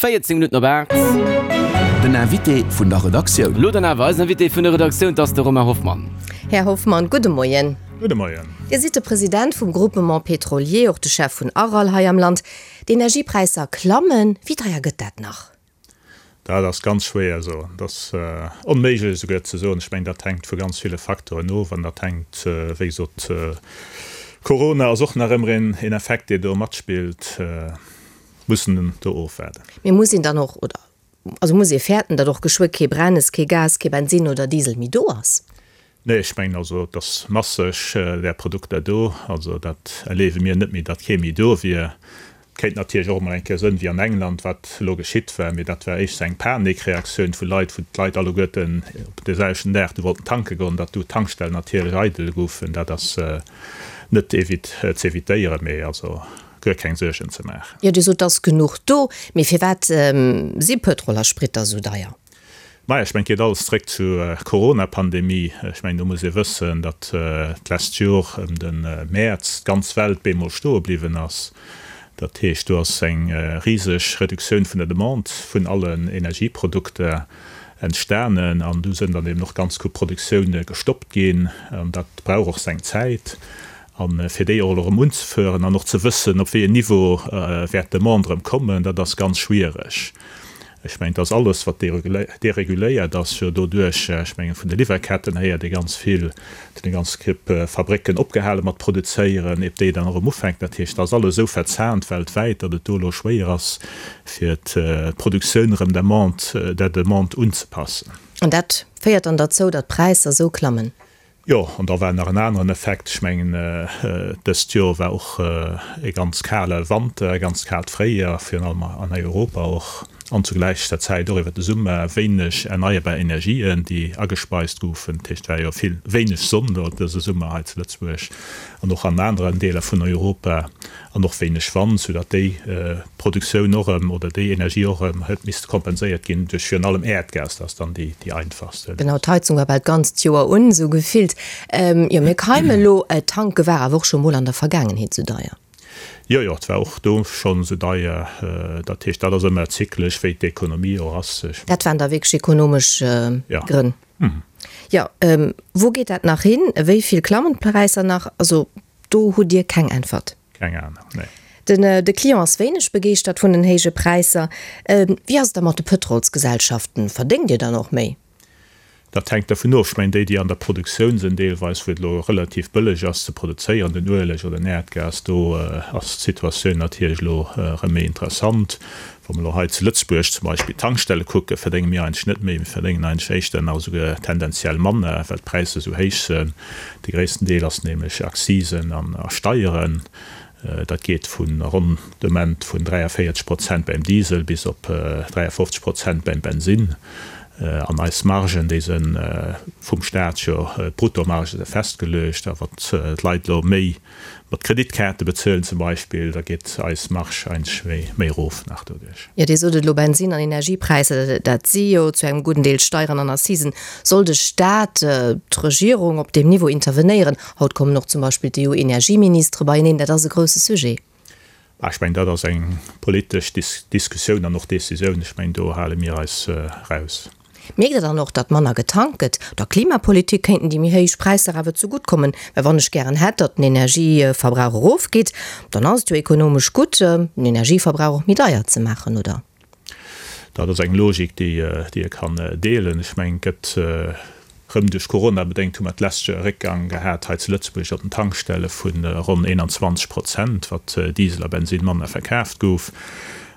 14 Minutten op 8. Den Invité vun der Redaktioun. Elo dann awer eisen Invité vun der Redaktioun, 't ass de Romain Hoffmann. Här Hoffmann, gudde Moien. Gudde Moien. Dir sidd de President vum Groupement Pétrolier, och de Chef vun Aral hei am Land. D'Energiepräisser klammen, wéi deier gëtt dat nach? Dat ass ganz schwéier soen. Dat ass onméiglech esouguer ze soen. Ech mengen, dat hänkt vu ganz ville Facteuren of an dat hänkt, wéi gesot, Corona ass och nach ëmmer een Effekt, dee do matspillt. Mussen do ofwaarden. Mee muss een dann och, oder also muss ee fäerten, datt och geschwë kee Brennes, kee Gas, kee Bensinn oder Diesel méi do ass? Nee, ech mengen also, et ass masseg där Produkter do. Also dat erleewe mir net méi, datt kee méi do wier. Et kéint natierlech och emol eng Kéier sënn, wéi an England, wat elo geschitt war, mee dat war éischter eng Panikreaktioun vu Leit, wou d'Leit alleguerten op dee selwechten Dag du wollten tanke goen, datt du d'Tankstellen natierlech eidel goufen. Dat ass net z'evitéieren, mee also guer keng Suergen ze maachen. Jo, Dir sot, et ass genuch do, mee firwat si Pëtrol a Sprit da sou deier? Maja, ech mengen, et geet alles zréck zur Corona-Pandemie. Ech mengen, do muss ee wëssen, datt d'lescht Jor ëm de Mäerz d'ganz Welt bemol stoe bliwwen ass. Dat heescht, do ass eng riseg Reduktioun vun der Demande vun allen Energieprodukter entstanen an du sënn dann eben och ganz gutt Produktioune gestoppt ginn. An dat brauch och seng Zäit. A fir déi och elo erëm unzefören an och ze wëssen, op wéi en Niveau wäert d'Demande erëm kommen, dat ass ganz schwiereg. Ech mengen, dass alles, wat dereguléiert ass, jo doduerch, ech mengen, vun de Liwwerketten héiert ee ganz vill, et hunn eng ganz Képp Fabrécken opgehale mat produzéieren, iert déi dann erëm ufänken. Dat heescht, et ass alles esou verzahnt weltwäit, datt et do elo schwéier ass, fir d'Produktioun erëm der Demande unzepassen. An dat féiert dann derzou, datt d'Präisser esou klammen? Jo, an da war nach en aneren Effekt. Ech mengen, dëst Joer war och e ganz kale Wanter, e ganz kaalt Fréijoer, virun allem an Europa och, an zu gläicher Zäit och iwwer de Summer wéineg erneierbar Energien, déi agespeist goufen. Dat heescht, et war jo vill wéineg Sonn do dëse Summer hei zu Lëtzebuerg an och an aneren Deeler vun Europa. An och wéineg Wand, soudatt déi Produktioun och erëm, oder déi Energie och erëm huet misste kompenséiert ginn duerch virun allem Äerdgas. Dat ass dann déi einfachst Léisung. Genau, d'Heizung war bal d'ganzt Joer un, esou gefillt. Jo, mir keime elo. Tanke war awer och scho mol an der Vergaangenheet esou deier. Jo, jo, et war och do schonn esou deier. Dat heescht, dat ass ëmmer zyklesch, wéi d'Ekonomie och ass. Dat waren da wierklech ekonomesch Grënn. Jo, wou geet dat nach hin? Wéi vill klammen d'Präisser nach? Also Do hutt Dir keng Äntwert? Keng Ahnung, nee. Den de Client ass wéineg begeeschtert vun den héije Präisser. Wéi ass et da mat de Pëtrolsgesellschaften? Verdéngt Dir dann och méi? Dat hänkt dervun of. Ech mengen, déi, déi an der Produktioun sinn, deelweis, wou et elo relativ bëlleg ass ze produzéieren, den Ueleg oder den Äerdgas, do ass d'Situatioun natierlech elo erëm méi interessant. Wa mer elo hei zu Lëtzebuerg zum Beispill d'Tankstelle kucken, verdénge mir eigentlech net méi, mir verdéngen eigentlech éischter nach esouguer tendenziell manner, well d'Präisser esou héich sinn. De gréissten Deel ass nämlech Accisen a Steieren. Dat geet vu ronn de Moment vun 43 Prozent beim Diesel bis op 53 Prozent beim Bensinn. An eis Margen, déi se vum Staat jo, d'Bruttomarge se festgeluecht. A wann d'Leit elo méi mat Kreditkaarte bezuelen zum Beispill, da geet eis Marge eigentlech méi erof nach doduerch. Jo, Dir sot et elo, Bensinn an Energiepräisser, dat si jo zu engem gudden Deel Steieren an Accisen. Soll de Staat, d'Regierung op deem Niveau intervenéieren? Haut kommen och zum Beispill d'EU-Energieministere beieneen, dat ass e grousse Sujet. Ech mengen, dat ass eng politesch Diskussioun an och Decisioun. Ech mengen, do hale mir eis raus. Mierkt Der dann och, datt manner getankt gëtt? Der Klimapolitik kéinten déi méi héich Präisser awer zegutt kommen, well wann ech gären hätt, datt den Energieverbrauch erofgeet, dann ass et jo ekonomesch gutt, den Energieverbrauch och méi deier ze maachen, oder? Dat ass eng Logik, déi ee kann deelen. Ech mengen, et gëtt Rëm duerch Corona bedéngt hu mer d'lescht Joer e Réckgang gehat hei zu Lëtzebuerg op den Tankstelle vu ronn 21 Prozent, wat Diesel a Bensinn manner verkaaft gouf.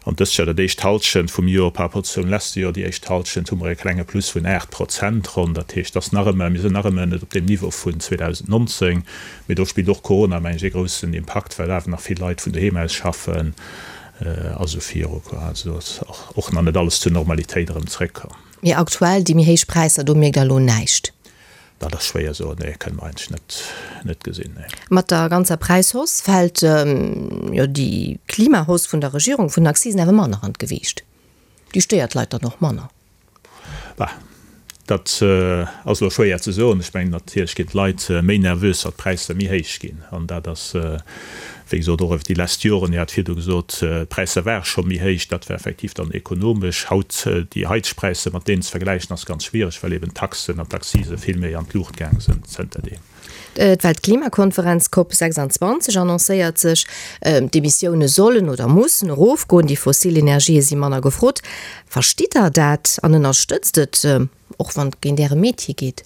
An dëst Joer, dat éischt Hallschent vum Joer par rapport zum leschte Joer, déi éischt Hallschent, hu mer e klenge Plus vun 8 Prozent ronn. Dat heescht, dass nach ëmmer, mir sinn nach ëmmer net op deem Niveau vun 2019, mee do spillt och Corona, meng ech, e groussen Impakt, well awer nach vill Leit vun doheem aus schaffen a sou viru. Also do ass och nach net alles zur Normalitéit erëm zréckkomm. Mee aktuell, déi méi héich Präisser, do mierkt Der elo näischt? Dat ass schwéier soen, nee, kënne mer eigentlech net, net gesinn, nee. Mat der ganzer Präishausse fält jo déi Klimahausse vun der Regierung vun den Accisen awer manner an d'Gewiicht. Déi stéiert d'Leit dann och manner. Bah, dat ass elo schwéier ze soen. Ech mengen, natierlech ginn d'Leit méi nervös, wat d'Präisser méi héich ginn. An dat ass. Wéi gesot, och iwwer déi lescht Joren, Dir hat virdu gesot, d'Präisser ware scho méi héich, dat war effektiv dann ekonomesch. Haut déi haiteg Präisser mat deenen ze vergläichen, ass ganz schwiereg, well eben d'Taxen an d'Accisen vill méi an d'Luucht gaange sinn zënterdeem. D'Weltklimakonferenz Cop 26 annoncéiert sech, D'Emissioune sollen oder mussen erofgoen, déi fossil Energië si manner gefrot. Verstitt Der dat an ënnerstëtzt et, och wann et géint Äre Metier geet?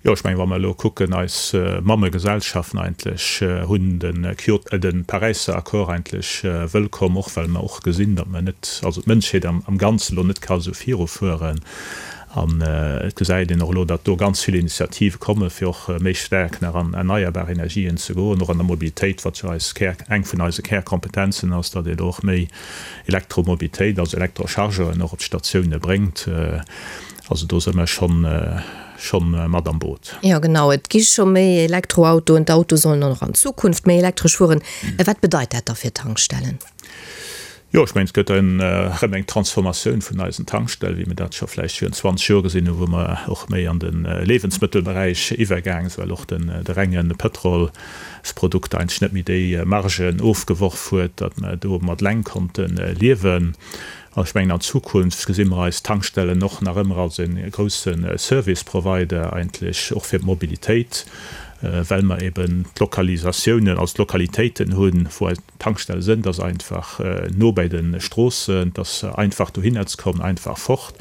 Jo, ech mengen, wa mer elo kucken, eis Mammegesellschaften eigentlech hunn de Kyoto, de Paräisser Accord eigentlech wëllkomm, och well mer och gesinn, datt mer net, also d'Mënschheet am Ganzen elo net ka esou virufueren. An et gesäit een och elo, datt do ganz vill Initiative komme fir och méi staark nach an erneierbar Energien ze goen, och an der Mobilitéit, wat jo eis Kär, eng vun eise Kärkompetenzen ass, datt ee do och méi Elektromobilitéit, also Elektrochargeuren och op d'Statioune bréngt. Also do si mer schonn, schonn mat am Boot. Jo genau, et gi scho méi Elektroautoen, d'Autoe sollen och an Zukunft méi elektresch fueren. Wat bedeit dat da fir d'Tankstellen? Jo, ech mengen, et gëtt erëm eng Transformatioun vun eisen Tankstellen, wéi mir dat scho vläicht virun 20 Joer gesinn hunn, wou mer och méi an de Leewensmëttelberäich iwwergaang sinn, well och de renge Pëtrolsprodukt eigentlech net méi déi Margen ofgeworf huet, datt mer domat eleng konnte liewen. An ech mengen, an Zukunft gesi mer eis Tankstellen och nach ëmmer als e grousse Service Provider eigentlech och fir d'Mobilitéit, well mer eben d'Lokalisatiounen, also d'Lokalitéiten hunn, wou eis Tankstelle sënn. Et ass einfach no bäi de Stroossen, et ass einfach dohinner ze kommen, einfach fort.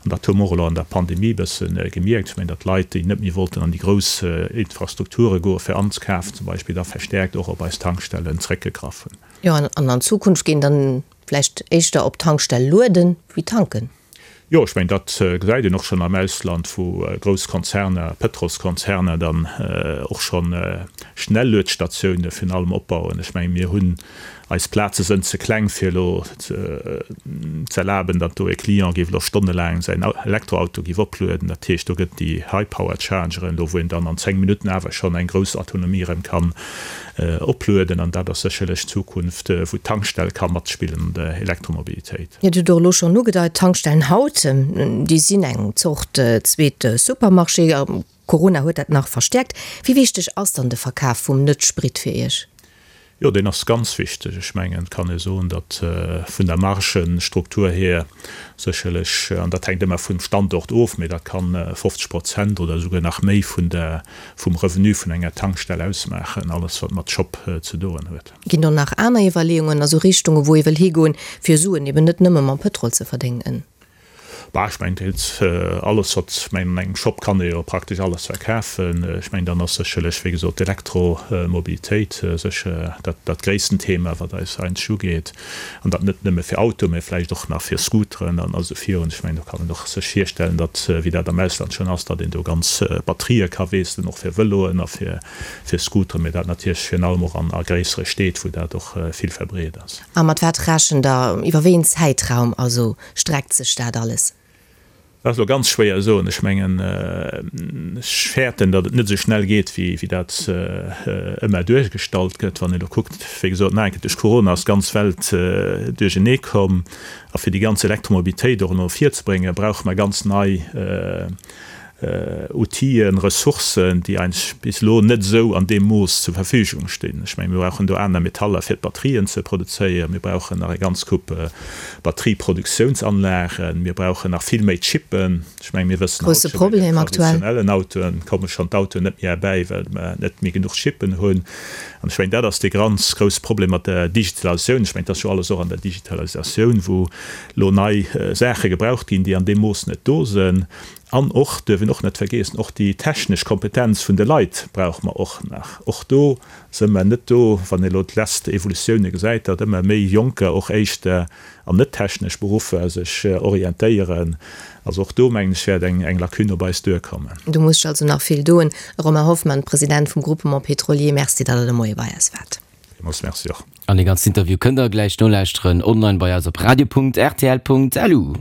An dat hu mer och elo an der Pandemie e bësse gemierkt. Ech mengen, datt Leit, déi net méi wollten an déi grouss Infrastrukture goe fir anzekafen zum Beispill, da verstärkt och op eis Tankstellen zréckgegraff hunn. Jo, an an Zukunft ginn dann Vläicht éischter op Tankstell lueden wéi tanken? Jo, ech mengen, dat gesäit een och schonn am Ausland, wou grouss Konzerner, Pëtrolskonzerner dann och scho Schnelluedstatioune virun allem opbauen. Ech mengen, mir hunn, eis Plaze sënn ze kleng, fir elo ze erlaben, datt do e Client géif elo stonnelaang säin Elektroauto géif oplueden. Dat heescht, do gëtt déi High-Power-Chargeren do, wou een dann an 10 Minutten awer schonn eng grouss Autonomie erëm kann Oplueden, an dat ass sécherlech d'Zukunft, wou d'Tankstell ka matspillen an der Elektromobilitéit. Dir hutt och elo schonn ugedeit, d'Tankstellen haut, déi sinn eng Zort zweet Supermarché. Corona huet dat nach verstäerkt. Wéi wichteg ass dann de Verkaf vum Net-Sprit fir Iech? Jo, deen ass ganz wichteg. Ech mengen, et kann ee soen, datt vun der Margenstruktur hier sécherlech, an dat hänkt ëmmer vum Standort of, mee dat kann 50 Prozent oder esouguer nach méi vun der vum Revenu vun enger Tankstell ausmaachen, alles wat mat Shop ze doen huet. Ginn do nach aner Iwwerleeungen, also Richtungen, wou ee wëll higoen, fir Suen eben net nëmme mam Pëtrol ze verdéngen? Bah, ech mengen, et alles wat, ech mengen, an engem Shop kann ee jo praktesch alles verkafen. Ech mengen, dann ass sécherlech, wéi gesot, d'Elektromobilitéit sécher dat, dat gréissten Thema, wat eis eigentlech ugeet. An dat net nëmme fir Autoen, mä vläicht och nach fir Scooteren an esou virun. Ech mengen, do kann een och sech virstellen, datt, wéi dat am Ausland schonn ass, datt een do ganz Batterië ka wiesselen, och fir Vëloen a fir Scooteren, mä dat natierlech virun allem och an a gréissere Steed, wou dat och vill verbreet ass. A mat wat rechent Der? Iwwer wéi een Zäitraum also streckt sech dat alles? Dat ass elo ganz schwéier soen. Ech mengen, ech fäerten, datt et net esou schnell geet, wéi dat ëmmer duergestallt gëtt. Wann een elo kuckt, wéi gesot, nach eng Kéier, duerch Corona ass d'ganz Welt duerchernee komm. A fir déi ganz Elektromobilitéit och elo virzebréngen, brauche mer ganz nei Outile, Ressourcen, déi eigentlech bis elo net esou an deem Mooss zur Verfügung stinn. Ech mengen, mir brauchen do aner Metaller, fir d'Batterien ze produzéieren. Mir brauchen nach eng ganz Coupe Batterieproduktiounsanlagen. Mir brauchen nach vill méi Chippen. Ech mengen, mir wëssen haut scho, bei den traditionellen Autoen komme schonn d'Autoen net méi erbäi, well mer net méi genuch Chippen hunn. An ech mengen, dat ass dee ganz grousse Problem mat der Digitalisatioun. Ech mengen, et ass jo alles och an der Digitalisatioun, wou elo nei Saache gebraucht ginn, déi an deem Mooss net do sinn. An och, duerf een och net vergeessen, och déi technesch Kompetenz vun de Leit brauche mer och nach. Och do si mer net do, wann ee elo d'lest Evolutioune gesäit, datt ëmmer méi Jonker och éischter an net technesch Beruffer sech orientéieren. Also och do, mengen ech, wäert eng Lacune op eis duerkommen. Do muss sech also nach vill doen. Romain Hoffmann, President vum Groupement Pétrolier, Merci, datt Der de Moie bei eis waart. Villmools Merci och. An dee ganzen Interview kënnt der gläich nolauschteren online bei eis op radio.rtl.lu.